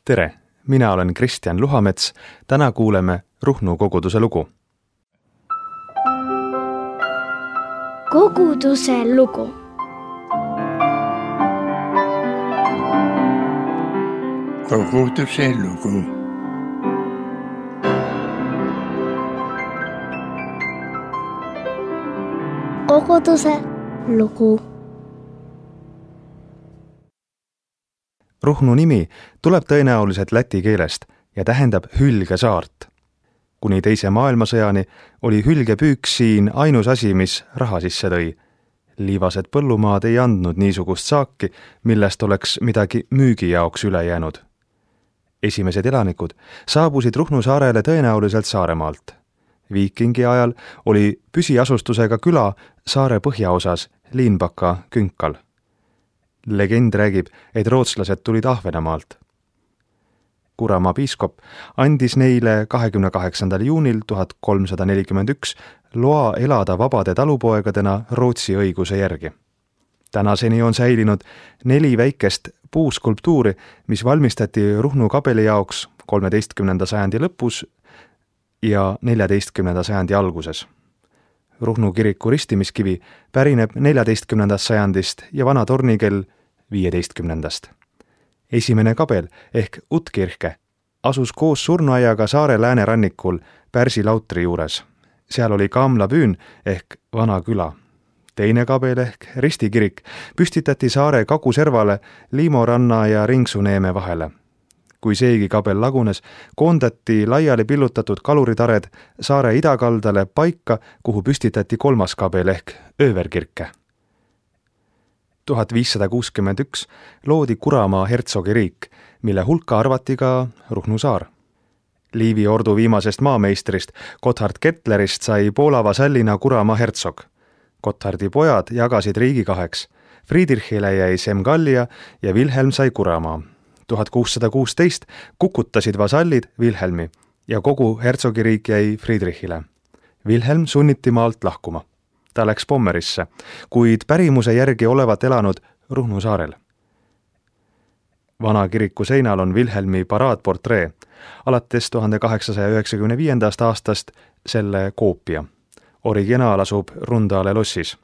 Tere, mina olen Kristjan Luhamets, täna kuuleme Ruhnu koguduse lugu. Koguduse lugu. Koguduse lugu. Koguduse lugu. Ruhnu nimi tuleb tõenäoliselt läti keelest ja tähendab hülgesaart. Kuni teise maailmasõjani oli hülgepüük siin ainus asi, mis raha sisse tõi. Liivased põllumaad ei andnud niisugust saaki, millest oleks midagi müügi jaoks üle jäänud. Esimesed elanikud saabusid Ruhnu saarele tõenäoliselt Saaremaalt. Viikingi ajal oli püsiasustusega küla saare põhjaosas Liinbaka künkal. Legend räägib, et rootslased tulid Ahvenamaalt. Kuramaa piiskop andis neile 28. juunil 1341 loa elada vabade talupoegadena Rootsi õiguse järgi. Tänaseni on säilinud 4 väikest puuskulptuuri, mis valmistati Ruhnu kabeli jaoks 13. sajandi lõpus ja 14. sajandi alguses. Ruhnu kiriku ristimiskivi pärineb 14. sajandist ja vana tornikell 15. Esimene kabel ehk Utkirke asus koos surnuaiaga saare läänerannikul Pärsi lautri juures. Seal oli kaamlapüün ehk vana küla. Teine kabel ehk ristikirik püstitati saare kaguservale Liimoranna ja Ringsuneeme vahele. Kui seegi kabel lagunes, koondati laiali pillutatud kaluritared saare idakaldale paika, kuhu püstitati 3. kabel ehk Ööverkirke. 1561 loodi Kuramaa hertsogiriik, mille hulka arvati ka Ruhnu saar. Liivi ordu viimasest maameistrist Gotthard Kettlerist sai Poola vasallina Kuramaa hertsog. Gotthardi pojad jagasid riigi 2. Friedrichile jäi Semgallia ja Wilhelm sai Kuramaa. 1616 kukutasid vasallid Wilhelmi ja kogu hertsogiriik jäi Friedrichile. Wilhelm sunniti maalt lahkuma. Ta läks Pommerisse, kuid pärimuse järgi olevat elanud Ruhnu saarel. Vana kiriku seinal on Wilhelmi paraadportree, alates 1895. aastast selle koopia. Originaal asub Rundale lossis.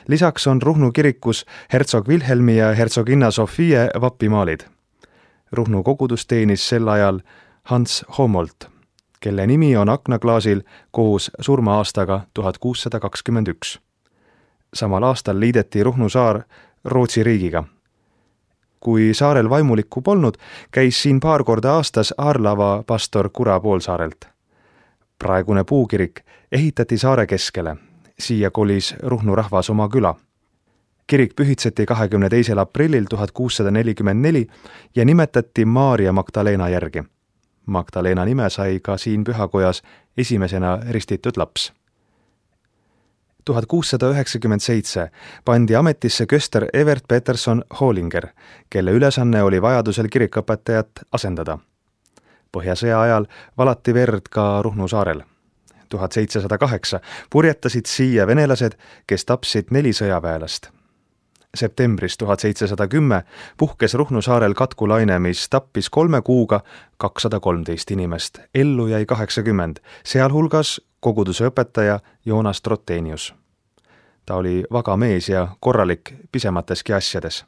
Lisaks on Ruhnu kirikus hertsog Wilhelmi ja hertsoginna Sofie vapimaalid. Ruhnu kogudus teenis sel ajal Hans Homolt, kelle nimi on aknaklaasil koos surma-aastaga 1621. Samal aastal liideti Ruhnu saar Rootsi riigiga. Kui saarel vaimulikku polnud, käis siin paar korda aastas Aarlava pastor Kura poolsaarelt. Praegune puukirik ehitati saare keskele. Siia kolis Ruhnu rahvas oma küla. Kirik pühitseti 22. aprillil 1644 ja nimetati Maarja Magdalena järgi. Magdalena nime sai ka siin pühakojas esimesena ristitud laps. 1697 pandi ametisse köster Evert Peterson Hollinger, kelle ülesanne oli vajadusel kirikõpetajat asendada. Põhjasõja ajal valati verd ka Ruhnu saarel. 1708 purjetasid siia venelased, kes tapsid 4 sõjaväelast. Septembris 1710 puhkes Ruhnu saarel katkulaine, mis tappis 3 kuuga 213 inimest, ellu jäi 80, sealhulgas koguduse õpetaja Joonas Trotenius. Ta oli vaga mees ja korralik pisemateski asjades.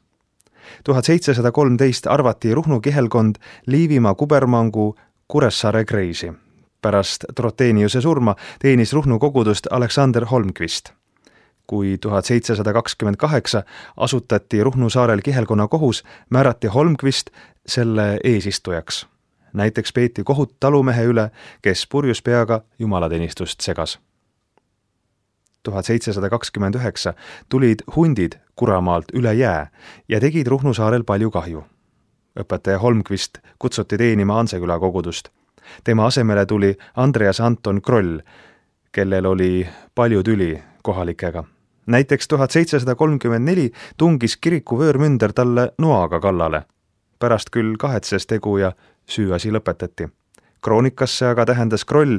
1713 arvati Ruhnu kihelkond Liivimaa kubermangu Kuressaare kreisi. Pärast Troteniuse surma teenis Ruhnu kogudust Alexander Holmqvist. Kui 1728 asutati Ruhnu saarel kihelkonna kohus, määrati Holmqvist selle eesistujaks. Näiteks peeti kohut talumehe üle, kes purjus peaga jumalateenistust segas. 1729 tulid hundid Kuramaalt üle jää ja tegid Ruhnu saarel palju kahju. Õpetaja Holmqvist kutsuti teenima Anseküla kogudust. Tema asemele tuli Andreas Anton Kroll, kellel oli palju tüli kohalikega. Näiteks 1734 tungis kiriku vöörmünder talle noaga kallale. Pärast küll kahetses tegu ja süüasi lõpetati. Kroonikasse aga tähendas Kroll,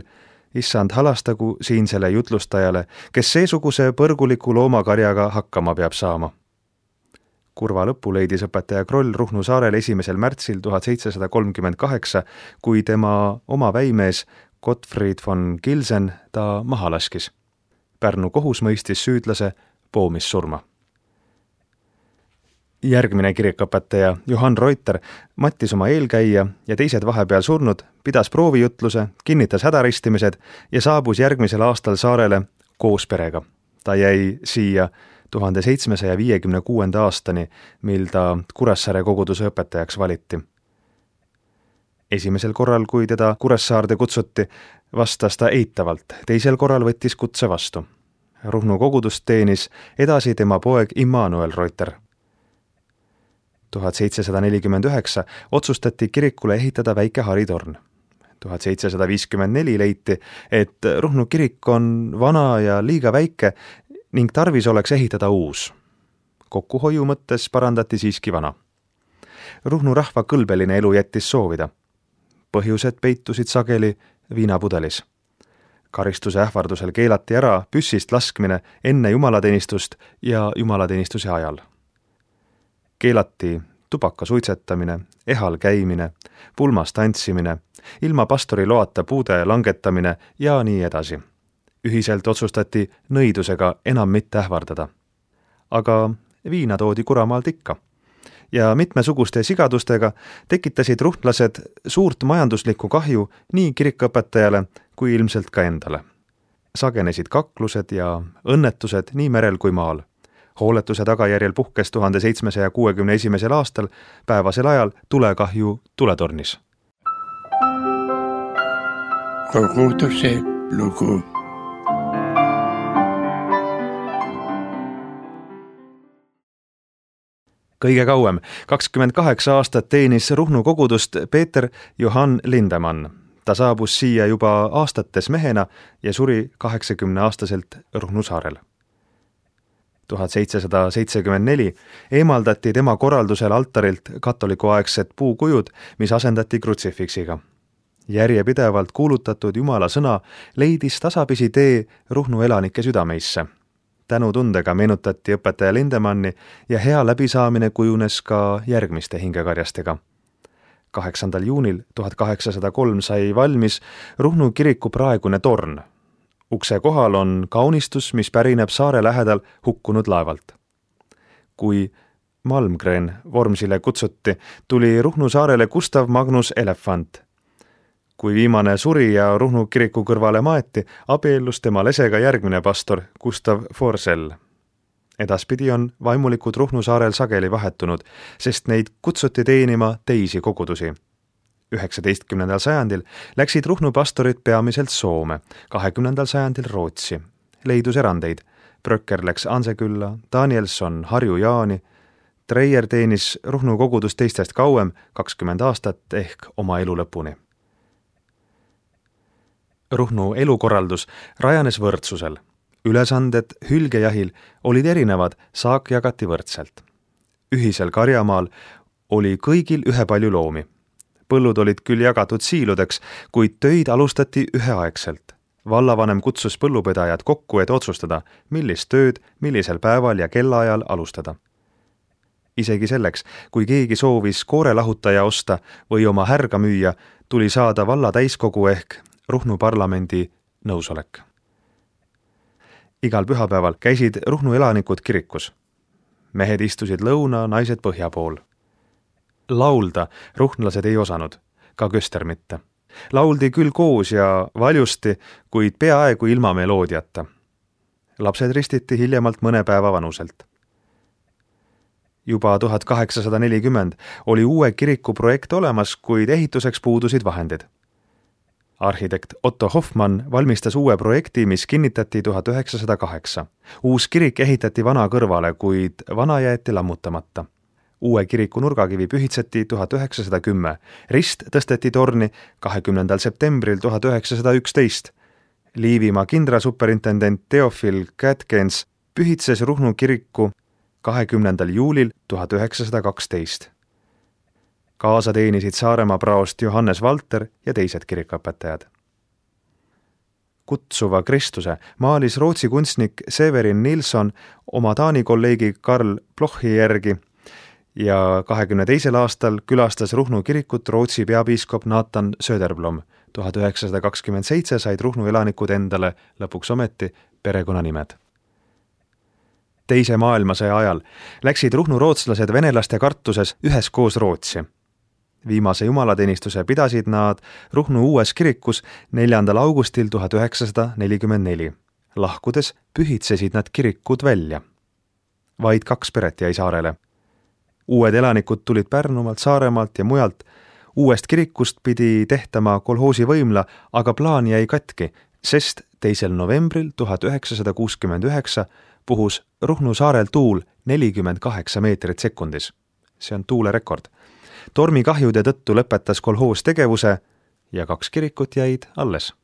issand halastagu siinsele jutlustajale, kes seesuguse põrguliku loomakarjaga hakkama peab saama. Kurva lõpu leidis õpetaja Kroll Ruhnu saarel 1. märtsil 1738, kui tema oma väimees Gottfried von Gilsen ta maha laskis. Pärnu kohus mõistis süüdlase poomissurma. Järgmine kirikuõpetaja Johann Reuter mattis oma eelkäija ja teised vahepeal surnud, pidas proovijutluse, kinnitas hädaristimised ja saabus järgmisel aastal saarele koos perega. Ta jäi siia 1756. aastani, mil ta Kuressaare koguduse õpetajaks valiti. Esimesel korral, kui teda Kuressaarde kutsuti, vastas ta eitavalt, teisel korral võttis kutse vastu. Ruhnu kogudust teenis edasi tema poeg Immanuel Reuter. 1749 otsustati kirikule ehitada väike haritorn. 1754 leiti, et Ruhnu kirik on vana ja liiga väike ning tarvis oleks ehitada uus. Kokkuhoiu mõttes parandati siiski vana. Ruhnu rahva kõlbeline elu jättis soovida. Põhjused peitusid sageli viinapudelis. Karistuse ähvardusel keelati ära püssist laskmine enne jumalateenistust ja jumalateenistuse ajal. Keelati tubaka suitsetamine, ehal käimine, pulmas tantsimine, ilma pastori loata puude langetamine ja nii edasi. Ühiselt otsustati nõidusega enam mitte ähvardada. Aga viina toodi Kuramaalt ikka. Ja mitmesuguste sigadustega tekitasid ruhtlased suurt majanduslikku kahju nii kirikuõpetajale kui ilmselt ka endale. Sagenesid kaklused ja õnnetused nii merel kui maal. Hooletuse tagajärjel puhkes 1761. aastal päevasel ajal tulekahju tuletornis. Koguduse lugu. Kõige kauem, 28 aastat teenis Ruhnu kogudust Peeter Johann Lindemann. Ta saabus siia juba aastates mehena ja suri 80-aastaselt Ruhnu saarel. 1774 eemaldati tema korraldusel altarilt katolikuaegsed puukujud, mis asendati krutsifiksiga. Järjepidevalt kuulutatud Jumala sõna leidis tasapisi tee Ruhnu elanike südameisse. Tänutundega meenutati õpetaja Lindemanni ja hea läbisaamine kujunes ka järgmiste hingekarjastega. 8. juunil 1803 sai valmis Ruhnu kiriku praegune torn. Ukse kohal on kaunistus, mis pärineb saare lähedal hukkunud laevalt. Kui Malmgren Vormsile kutsuti, tuli Ruhnu saarele Gustav Magnus Elefant. Kui viimane suri ja Ruhnu kiriku kõrvale maeti, abiellus tema lesega järgmine pastor Gustav Forsell. Edaspidi on vaimulikud Ruhnu saarel sageli vahetunud, sest neid kutsuti teenima teisi kogudusi. 19. sajandil läksid Ruhnu pastorid peamiselt Soome, 20. sajandil Rootsi. Leidus erandeid. Bröcker läks Ansekülla, Danielson Harju Jaani. Treier teenis Ruhnu kogudust teistest kauem, 20 aastat ehk oma elu lõpuni. Ruhnu elukorraldus rajanes võrdsusel. Ülesanded hülgejahil olid erinevad, saak jagati võrdselt. Ühisel karjamaal oli kõigil ühepalju loomi. Põllud olid küll jagatud siiludeks, kuid töid alustati üheaegselt. Vallavanem kutsus põllupidajad kokku, et otsustada, millist tööd, millisel päeval ja kellaajal alustada. Isegi selleks, kui keegi soovis koorelahutaja osta või oma härga müüa, tuli saada valla täiskogu ehk Ruhnu parlamendi nõusolek. Igal pühapäeval käisid Ruhnu elanikud kirikus. Mehed istusid lõuna, naised põhja pool. Laulda ruhnlased ei osanud, ka köster mitte. Lauldi küll koos ja valjusti, kuid peaaegu ilma meloodiata. Lapsed ristiti hiljemalt mõne päeva vanuselt. Juba 1840 oli uue kiriku projekt olemas, kuid ehituseks puudusid vahendid. Arhitekt Otto Hoffmann valmistas uue projekti, mis kinnitati 1908. Uus kirik ehitati vana kõrvale, kuid vana jäeti lammutamata. Uue kiriku nurgakivi pühitseti 1910. Rist tõsteti torni 20. septembril 1911. Liivimaa kindralsuperintendent Theophil Catkins pühitses Ruhnu kiriku 20. juulil 1912. Kaasa teenisid Saaremaa praost Johannes Valter ja teised kirikuõpetajad. Kutsuva Kristuse maalis Rootsi kunstnik Severin Nilsson oma Taani kolleegi Karl Blochi järgi, ja 22. aastal külastas Ruhnu kirikut Rootsi peapiiskop Nathan Söderblom. 1927 said Ruhnu elanikud endale lõpuks ometi perekonnanimed. Teise maailmasõja ajal läksid Ruhnu rootslased venelaste kartuses üheskoos Rootsi. Viimase jumalateenistuse pidasid nad Ruhnu uues kirikus 4. augustil 1944. Lahkudes pühitsesid nad kirikud välja. Vaid 2 peret jäi saarele. Uued elanikud tulid Pärnumaalt, Saaremaalt ja mujalt. Uuest kirikust pidi tehtama kolhoosi võimla, aga plaan jäi katki, sest 2. novembril 1969 puhus Ruhnu saarel tuul 48 meetrit sekundis. See on tuulerekord. Tormikahjude tõttu lõpetas kolhoos tegevuse ja 2 kirikut jäid alles.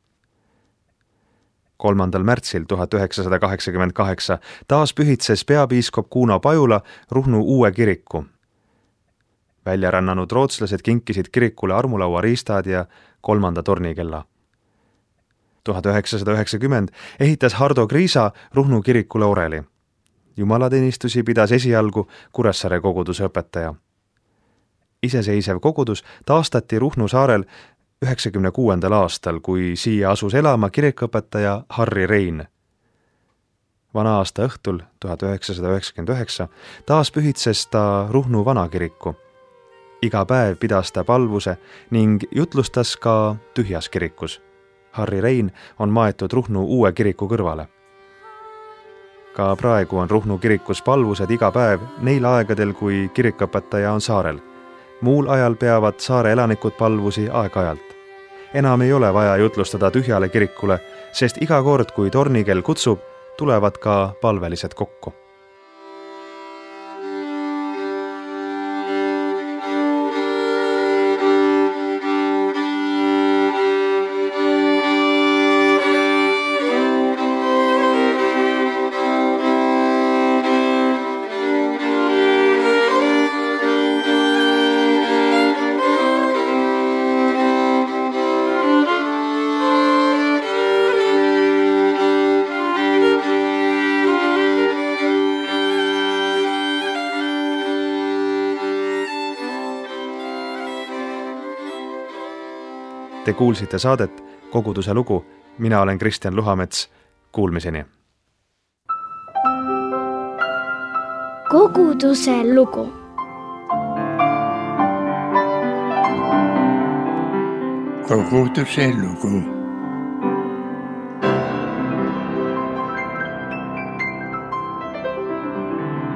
3. märtsil 1988 taas pühitses peapiiskop Kuno Pajula Ruhnu uue kiriku. Väljarännanud rootslased kinkisid kirikule armulaua riistad ja 3. tornikella. 1990 ehitas Hardo Kriisa Ruhnu kirikule oreli. Jumalateenistusi pidas esialgu Kuressaare koguduse õpetaja. Iseseisev kogudus taastati Ruhnu saarel 1996. aastal, kui siia asus elama kirikuõpetaja Harri Rein. Vana aasta õhtul 1999 taas pühitses ta Ruhnu vanakiriku. Iga päev pidas ta palvuse ning jutlustas ka tühjas kirikus. Harri Rein on maetud Ruhnu uue kiriku kõrvale. Ka praegu on Ruhnu kirikus palvused iga päev neil aegadel, kui kirikuõpetaja on saarel. Muul ajal peavad saare elanikud palvusi aeg-ajalt. Enam ei ole vaja jutlustada tühjale kirikule, sest iga kord, kui tornikell kutsub, tulevad ka palvelised kokku. Te kuulsite saadet Koguduse lugu. Mina olen Kristjan Luhamets. Kuulmiseni. Koguduse lugu. Koguduse lugu.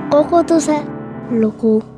Koguduse lugu.